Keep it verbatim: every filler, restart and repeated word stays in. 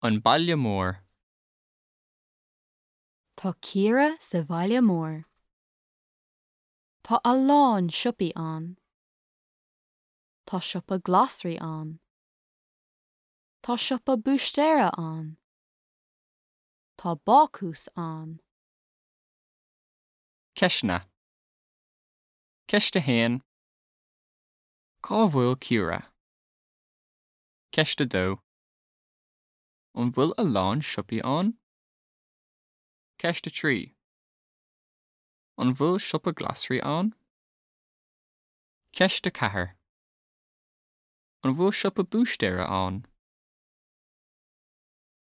An Baile Mór. Tá Ciara sa bhaile mór. Tá a lán siopaí ann. Tá siopa glasraí ann. Tá siopa búistéara ann. Tá bácús ann. Ceisteanna. Ceist a haon. Cá bhfuil Ciara? Ceist a dó. An bhfuil a lán siopaí ann? Ceist a trí. An bhfuil siopa glasraí ann? Ceist a ceathair. An bhfuil siopa búistéara ann?